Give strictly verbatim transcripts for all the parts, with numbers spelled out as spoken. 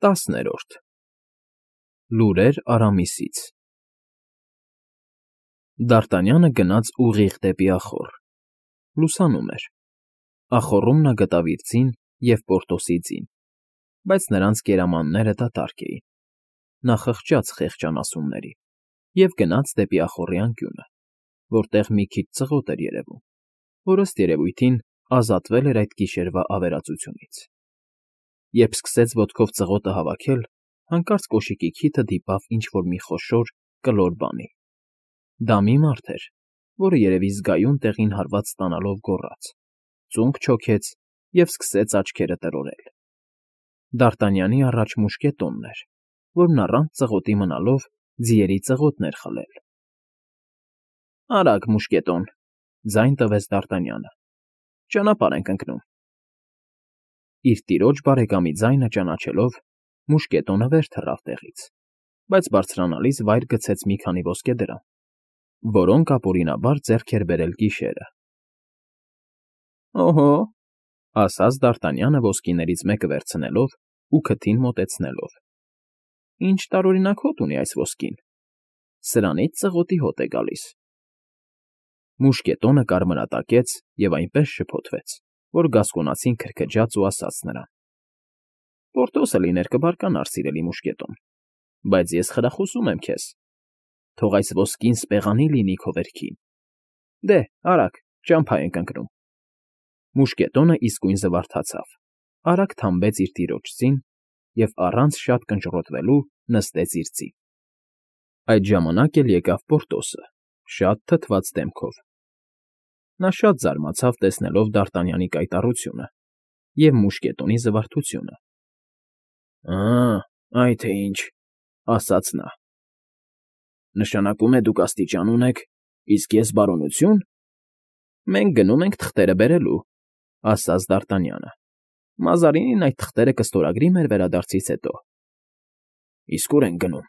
ՏԱՍՆԵՐՈՐԴ ԼՈՒՐԵՐ ԱՐԱՄԻՍԻՑ Դ'ԱՐՏԱՆՅԱՆԸ գնաց ուղիղ դեպի ախոռ. լուսանում էր, ախոռում նա գտավ իր ձին և Պորտոսի ձին, բայց նրանց կերամանները դատարկ էին. նա խղճաց խեղճ անասուններին և գնաց դեպի ախոռի անկյունը, որտեղ մի քիչ ծղոտ էր երևում, որ, ըստ երևույթին, ազատվել էր այդ գիշերվա ավերածությունից. երբ սկսեց ոտքով ծղոտը հավաքել, հանկարծ կոշիկի քիթը դիպավ ինչ֊որ մի խոշոր, կլոր բանի. դա մի մարդ էր, որը երևի զգայուն տեղին հարված ստանալով գոռաց, ծունկ չոքեց և սկսեց աչքերը տրորել. Դ'ԱՐՏԱՆՅԱՆի առաջ մուշկետոնն էր, որն առանց ծղոտի մնալով ձիերի ծղոտն էր խլել։ ֊ Արագ, մուշկետո՛ն,֊ ձայն տվեց Դ'ԱՐՏԱՆՅԱՆը,֊ ճանապարհ ենք ընկնում։ Իր տիրոջ բարեկամի ձայնը ճանաչելով, մուշկետոնը վեր թռավ տեղից, բայց բարձրանալիս վայր գցեց մի քանի ոսկեդրամ, որոնք ապօրինաբար ձեռք էր բերել գիշերը։ ֊ Օհո,֊ ասաց Դ'ԱՐՏԱՆՅԱՆը ոսկիներից մեկը վերցնելով ու քթին մոտեցնելով,֊ ինչ տարօրինակ հոտ ունի այս ոսկին, սրանից ծղոտի հոտ է գալիս։ Մուշկետոնը կարմրատակեց և այնպես շփոթվեց, որ գասկոնացին քրքջաց ու ասաց նրան. ֊ Պորտոսը լիներ կբարկանար, սիրելի մուշկետո՛ն, բայց ես խրախուսում եմ քեզ, թող այս ոսկին սպեղանի լինի քո վերքին։ Դե, արագ, ճամփա ենք ընկնում։ Մուշկետոնը իսկույն զվարթացավ, արագ թամբեց իր տիրոջ ձին և առանց շատ կնճռոտվելու նստեց իր ձին։ Այդ ժամանակ էլ եկավ Պորտոսը, շատ թթված դեմքով. նա շատ զարմացավ, տեսնելով Դ'ԱՐՏԱՆՅԱՆի կայտառությունը և մուշկետոնի զվարթությունը։ ֊ Ա՜, այ թե ինչ,֊ ասաց նա,֊ նշանակում է դուք աստիճան ունեք, իսկ ես բարոնությո՞ւն։ ֊ Մենք գնում ենք թղթերը բերելու,֊ ասաց Դ'ԱՐՏԱՆՅԱՆը,֊ Մազարինին այդ թղթերը կստորագրի մեր վերադարձից հետո։ ֊ Իսկ ո՞ւր ենք գնում,֊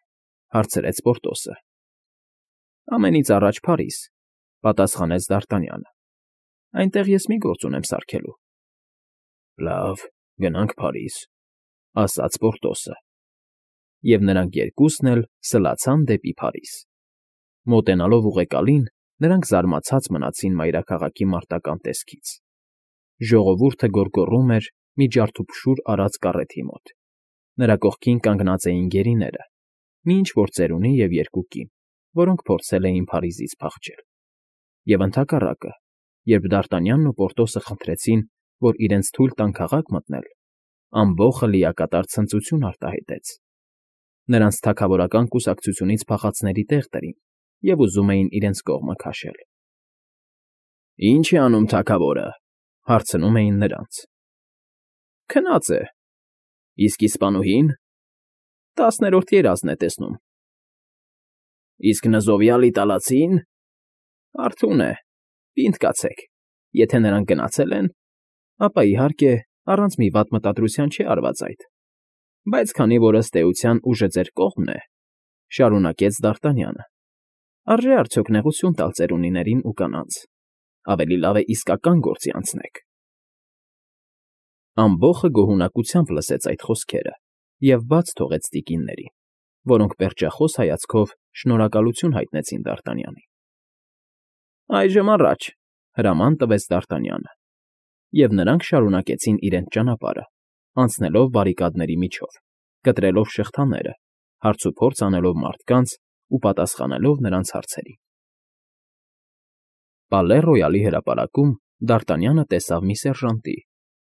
հարցրեց Պորտոսը։ ֊ Ամենից առաջ Փարիզ,֊ պատասխանեց Դ'ԱՐՏԱՆՅԱՆը,֊ այնտեղ ես մի գործ ունեմ սարքելու։ ֊ Լավ, գնանք Փարիզ,֊ ասաց Պորտոսը։ Եվ նրանք երկուսն էլ սլացան դեպի Փարիզ։ Մոտենալով ուղեկալին, նրանք զարմացած մնացին մայրաքաղաքի մարտական տեսքից. ժողովուրդը գոռգոռում էր մի ջարդուփշուր արած կառեթի մոտ, նրա կողքին կանգնած էին գերիները, մի ինչ֊որ ծերունի և երկու կին, որոնք փորձել էին Փարիզից փախչել։ Եվ ընդհակառակը, երբ Դ'ԱՐՏԱՆՅԱՆն ու Պորտոսը խնդրեցին, որ իրենց թույլ տան քաղաք մտնել, ամբոխը լիակատար ցնծություն արտահայտեց. նրանց թագավորական կուսակցությունից փախածների տեղ տրին և ուզում էին իրենց կողմը քաշել։ ֊ Ի՞նչ է անում թագավորը,֊ հարցնում էին նրանց։ ֊ Քնած է։ ֊ Իսկ իսպանուհի՞ն։ ֊ Տասներորդ երազն է տեսնում։ ֊ Իսկ նզովյալ իտալացի՞ն։ ֊ Արթուն է, պինդ կացեք, եթե նրանք գնացել են, ապա, իհարկե, առանց մի վատ մտադրության չէ արված այդ, բայց քանի որ, ըստ էության, ուժը ձեր կողմն է,֊ շարունակեց Դ'ԱՐՏԱՆՅԱՆը,֊ արժե՞ արդյոք նեղություն տալ ծերունիներին ու կանանց, ավելի լավ է իսկական գործի անցնեք։ Ամբոխը գոհունակությամբ լսեց այդ խոսքերը և բաց թողեց տիկիններին, որոնք պերճախոս հայացքով շնորհակալություն հայտնեցին Դ'ԱՐՏԱՆՅԱՆին։ ֊ Այժմ առաջ,֊ հրաման տվեց Դ'ԱՐՏԱՆՅԱՆը, և նրանք շարունակեցին իրենց ճանապարհը, անցնելով բարրիկադների միջով, կտրելով շղթաները, հարցուփորձ անելով մարդկանց ու պատասխանելով նրանց հարցերին։ Պալե Ռոյալի հրապարակում Դ'ԱՐՏԱՆՅԱՆը տեսավ մի սերժանտի,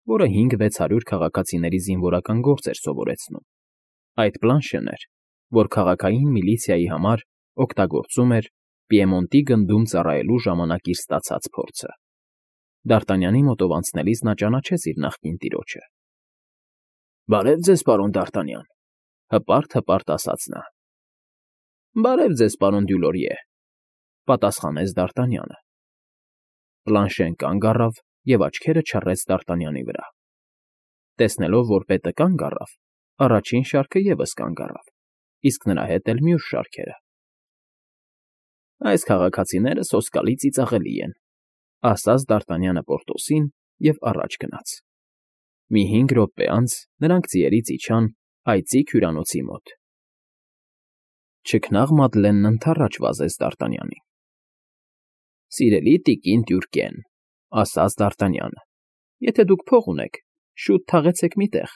որը հինգ֊վեց հարյուր քաղաքացիների զինվորական գործ էր սովորեցնում. այդ Պլանշեն էր, որ քաղաքային միլիցիայի համար օգտագործում էր Պիեմոնտի գնդում ծառայելու ժամանակ իր ստացած փորձը։ Դ'ԱՐՏԱՆՅԱՆի մոտով անցնելիս նա ճանաչեց իր նախկին տիրոջը։ ֊ Բարև ձեզ, պարոն Դ'ԱՐՏԱՆՅԱՆ,֊ հպարտ֊հպարտ ասաց նա։ ֊ Բարև ձեզ, պարոն Դյուլորիե,֊ պատասխանեց Դ'ԱՐՏԱՆՅԱՆը։ Պլանշեն կանգ առավ և աչքերը չռեց Դ'ԱՐՏԱՆՅԱՆի վրա։ Տեսնելով, որ պետը կանգ առավ, առաջին շարքը ևս կանգ առավ, իսկ նրա հետ էլ մյուս շարքերը։ ֊ Այս քաղաքացիները սոսկալի ծիծաղելի են,֊ ասաց Դ'ԱՐՏԱՆՅԱՆը Պորտոսին և առաջ գնաց։ Մի հինգ րոպե անց նրանք ձիերից իջան Այծիկ հյուրանոցի մոտ Չքնաղ Մադլենն ընդառաջ վազեց Դ'Արտանյանին։ ֊ Սիրելի տիկին Տյուրկեն,֊ ասաց Դ'Արտանյանը,֊ եթե դուք փող ունեք, շուտ թաղեցեք մի տեղ,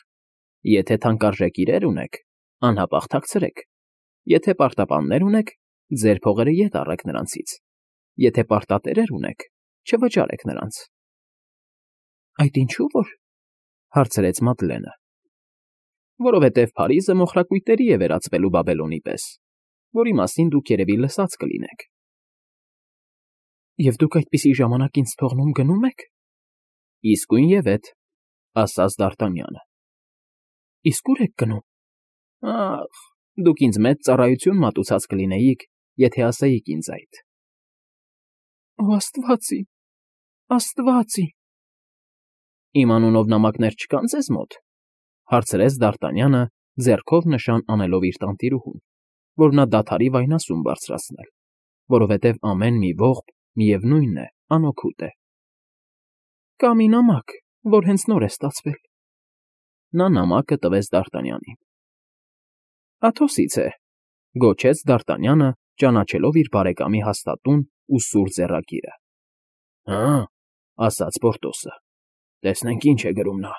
եթե թանկարժեք իրեր ունեք, անհապաղ թաքցրեք, եթե պարտապաններ ունեք, ձեր փողերը ետ առեք նրանցից, եթե պարտատերեր ունեք, չվճարեք նրանց։ ֊ Այդ ինչու՞ որ,֊ հարցրեց Մադլենը։ ֊ Որովհետև Փարիզը մոխրակույտերի է վերածվելու Բաբելոնի պես, որի մասին դուք երևի լսած կլինեք։ ֊ Եվ դուք այդպիսի ժամանակ ինձ թողնում գնո՞ւմ եք։ ֊ Իսկույնևեթ,֊ ասաց Դ'Արտանյանը։ ֊ Իսկ ո՞ւր եք գնում։ ֊ Ա՜խ, դուք ինձ մեծ ծառայություն մատուցած կլինեիք, եթե ասեիք ինձ այդ։ ֊ Օ աստվածի, աստվածի… Իմ անունով նամակներ չկա՞ն ձեզ մոտ,֊ հարցրեց Դ'Արտանյանը, ձեռքով նշան անելով իր տանտիրուհուն, որ նա դադարի վայնասուն բարձրացնել, որովհետև ամեն մի ողբ, միևնույն է, անօգուտ է։ ֊ Կա մի նամակ, որ հենց նոր է ստացվել։ Նա նամակը տվեց Դ'Արտանյանին։ ֊ Աթոսից է,֊ գոչեց Դ'Արտանյանը, ճանաչելով իր բարեկամի հաստատուն ու սուր ձեռագիրը։ ֊ Հը՛, ասաց Պորտոսը,֊ տեսնենք ինչ է գրում նա…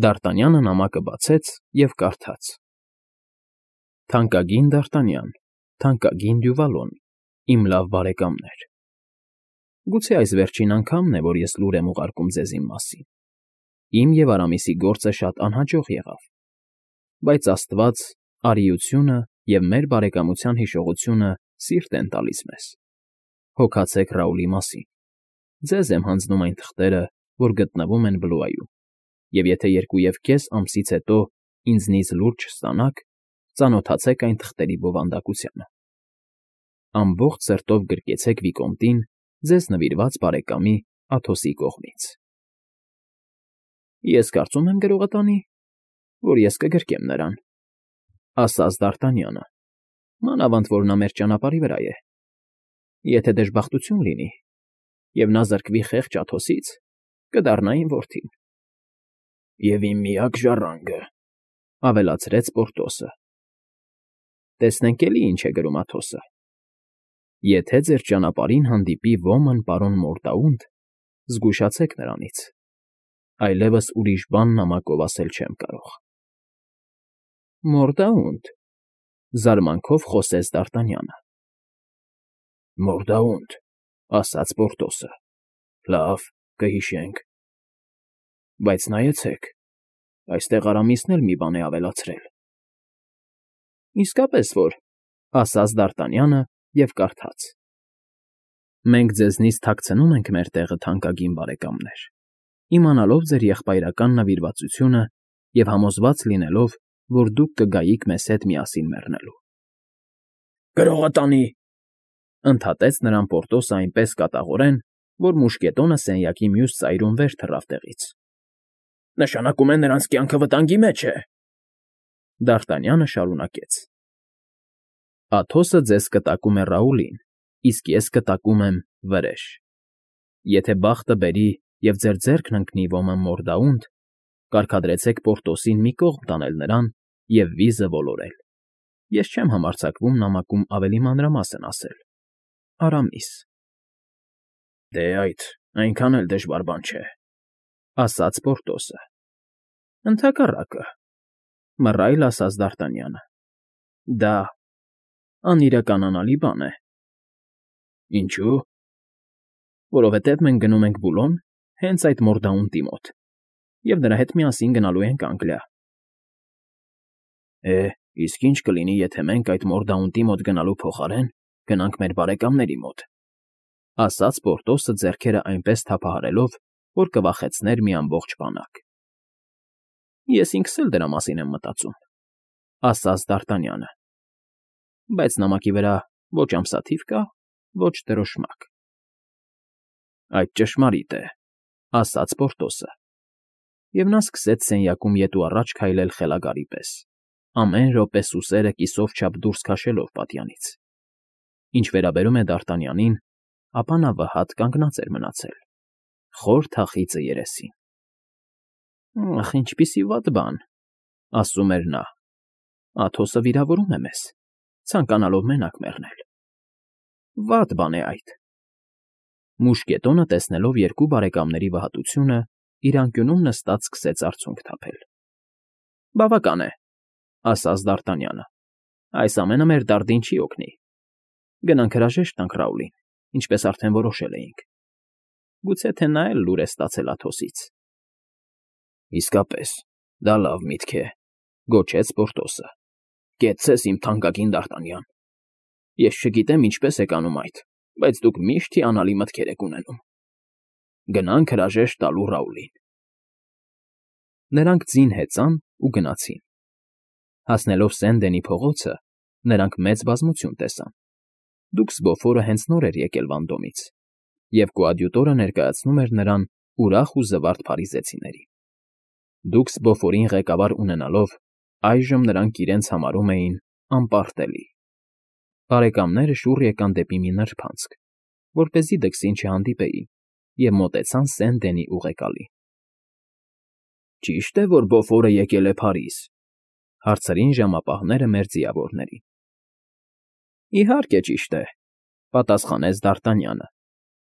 Դ'Արտանյանը նամակը բացեց և կարդաց. Թանկագին Դ'Արտանյան, թանկագին Դյուվալոն, իմ լավ բարեկամներ… Գուցե այս վերջին անգամն է, որ ես լուր եմ ուղարկում ձեզ իմ մասին. իմ և Արամիսի գործը շատ անհաջող եղավ, բայց աստված, արիությունը և մեր բարեկամության հիշողությունը սիրտ են տալիս մեզ։ Հոգացեք Ռաուլի մասին. ձեզ եմ հանձնում այն թղթերը, որ գտնվում են Բլուայում, և եթե երկու և կես ամսից հետո ինձնից լուր չստանաք, ծանոթացեք այն թղթերի բովանդակությանը։ Ամբողջ սրտով գրկեցեք Վիկոմտին ձեզ նվիրված բարեկամի Աթոսի կողմից։ ֊ Ես կարծում եմ գրողատանի, որ ես կգրկեմ նրան,֊ ասաց Դ'Արտանյանը,֊ մանավանդ որ նա մեր ճանապարհի վրա է։ Եթե դժբախտություն լինի, և նա զրկվի խեղճ Աթոսից, կդառնա իմ որդին։ ֊ Եվ իմ միակ ժառանգը,֊ ավելացրեց Պորտոսը։ ֊ Տեսնենք էլի ինչ է գրում Աթոսը. եթե ձեր ճանապարհին հանդիպի ոմն պարոն Մորդաունտ, զգուշացեք նրանից, այլևս ուրիշ բան նամակով ասել չեմ կարող։ ֊ Մորդաունտ,֊ զարմանքով խոսեց Դ'Արտանյանը։ ֊ Մորդաունտ,֊ ասաց Պորտոսը,֊ լավ, կհիշենք։ Բայց նայեցեք, այստեղ Արամիսն էլ մի բան է ավելացրել։ ֊ Իսկապես որ,֊ ասաց Դ'Արտանյանը և կարդաց. Մենք ձեզնից թաքցնում ենք մեր տեղը, թանկագին բարեկամներ, իմանալով ձեր եղբայրական նվիրվածությունը և համոզված լինելով, որ դուք կգայիք մեզ հետ միասին մեռնելու։ ֊ Գրողատանի՛,֊ ընդհատեց նրան Պորտոսը այնպես կատաղորեն, որ մուշկետոնը սենյակի մյուս ծայրում վեր թռավ տեղից։ ֊ Նշանակում է նրանց կյանքը վտանգի մեջ է… Դ'Արտանյանը շարունակեց. Աթոսը ձեզ կտակում է Ռաուլին, իսկ ես կտակում եմ վրեժ։ Եթե բախտը բերի և ձեր ձեռքն ընկնի ոմն Մորդաունտ, կարգադրեցեք Պորտոսին մի կողմ տանել նրան և վիզը ոլորել։ Ես չեմ համարձակվում նամակում ավելի մանրամասն ասել. Արամիս։ ֊ Դե այդ այնքան էլ դժվար բան չէ,֊ ասաց Պորտոսը։ ֊ Ընդհակառակը,֊ մռայլ ասաց Դ'Արտանյանը,֊ դա անիրականանալի բան է։ ֊ Ինչո՞ւ։ ֊ Որովհետև մենք գնում ենք Բուլոն հենց այդ Մորդաունտի մոտ և նրա հետ միասին գնալու ենք Անգլիա։ ֊ Է, իսկ ի՞նչ կլինի, եթե մենք այդ Մորդաունտի մոտ գնալու փոխարեն գնանք մեր բարեկամների մոտ,֊ ասաց Պորտոսը ձեռքերը այնպես թափահարելով, որ կվախեցներ մի ամբողջ բանակ։ ֊ Ես ինքս էլ դրա մասին եմ մտածում,֊ ասաց Դ'Արտանյանը,֊ բայց նամակի վրա ոչ ամսաթիվ կա, ոչ դրոշմակ։ ֊ Այդ ճշմարիտ է,֊ ասաց Պորտոսը, և նա սկսեց սենյակում ետ ու առաջ քայլել խելագարի պես, ամեն րոպե սուսերը կիսով չափ դուրս քաշելով պատյանից։ Ինչ վերաբերում է Դ'Արտանյանին, ապա նա վհատ կանգնած էր մնացել, խոր թախիծը երեսին։ ֊ Ախ, ինչպիսի վատ բան,֊ ասում էր նա, Աթոսը վիրավորում է մեզ, ցանկանալով մենակ մեռնել։ Վատ բան է այդ։ Մուշկետոնը, տեսնելով երկու բարեկամների վհատությունը, իր անկյունում նստած սկսեց արցունք թափել։ Բավական է, ասաց Դ'Արտանյանը, այս ամենը մեր դարդին չի օգնի։ Գնանք հրաժեշտ տանք Ռաուլին, ինչպես արդեն որոշել էինք։ Գուցե թե նա էլ լուր է ստացել Աթոսից։ Իսկապես, դա լավ միտք է, գոչեց Պորտոսը։ Կեցցես, իմ թանկագին Դ'Արտանյան։ Ես չգիտեմ ինչպես եք անում այդ, բայց դուք միշտ հիանալի մտքեր եք ունենում։ Գնանք հրաժեշտ տալու Ռաուլին։ Նրանք ձին հեծան ու գնացին։ Հասնելով Սենդենի փողոցը, նրանք մեծ բազմություն տեսան։ Դուքս Բոֆորը հենց նոր էր եկել Վանդոմից, և կոադյուտորը ներկայացնում էր նրան ուրախ ու զվարթ փարիզեցիներին։ Դուքս Բոֆորին ղեկավար ունենալով, այժմ նրանք իրենց համարում էին անպարտելի։ Բարեկամները շուռ եկան դեպի մի նրբանցք, որպեսզի դքսին չհանդիպեին, և մոտեցան Սենդենի ուղեկալին։ Ճի՞շտ է, որ Բոֆորը եկել է Փարիզ,֊ հարցրին ժամապահները մեր ձիավորներին։ Իհարկե ճիշտ է,֊ պատասխանեց Դ'Արտանյանը,֊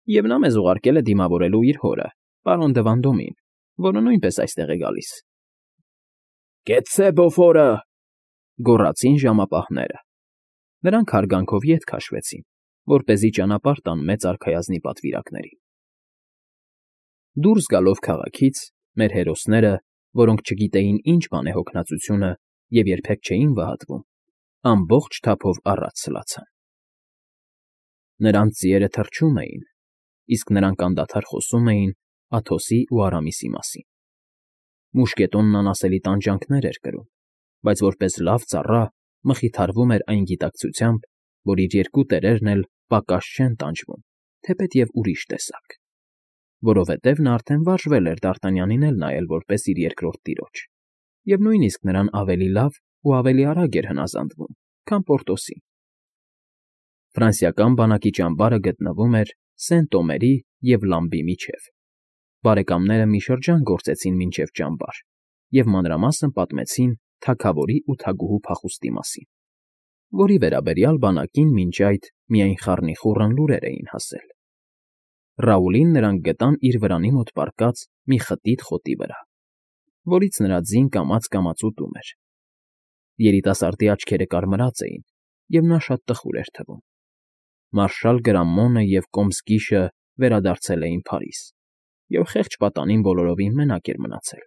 և նա մեզ ուղարկել է դիմավորելու իր հորը, պարոն դը Վանդոմին, որը նույնպես այստեղ է գալիս։ Կեցցե Բոֆորը,֊ գոռացին ժամապահները։ Նրանք հարգանքով ետ քաշվեցին, որպեսզի ճանապարհ տան մեծ արքայազնի պատվիրակներին։ Դուրս գալով քաղաքից, մեր հերոսները, որոնք չգիտեին ինչ բան է հոգնածությունը և երբեք չէին վհատվում, ամբողջ թափով առաջ սլացան։ Նրանց ձիերը թռչում էին, իսկ նրանք անդադար խոսում էին Աթոսի ու Արամիսի մասին։ Մուշկետոնն անասելի տանջանքներ էր կրում, բայց որպես լավ ծառա մխիթարվում էր այն գիտակցությամբ, որ իր երկու տերերն էլ պակաս չեն տանջվում, թեպետև ուրիշ տեսակ, որովհետև նա արդեն վարժվել էր Դ'Արտանյանին էլ նայել որպես իր երկրորդ տիրոջ, և նույնիսկ նրան ավելի լավ ու ավելի արագ էր հնազանդվում, քան Պորտոսին։ Ֆրանսիական բանակի ճամբարը գտնվում էր Սենտ֊Օմերի և Լամբի միջև։ Բարեկամները մի շրջան գործեցին մինչև ճամբար և մանրամասն պատմեցին թագավորի ու թագուհու փախուստի մասին, որի վերաբերյալ բանակին մինչ այդ միայն խառնիխուռն լուրեր էին հասել։ Ռաուլին նրանք գտան իր վրանի մոտ պառկած մի խտիտ խոտի վրա, որից նրա ձին կամաց֊կամաց ուտում էր։ Երիտասարդի աչքերը կարմրած էին, և նա շատ տխուր էր թվում։ Մարշալ Գրամմոնը և Կոմսկիշը վերադարձել էին Փարիզ, և խեղճ պատանին բոլորովին մենակ էր մնացել։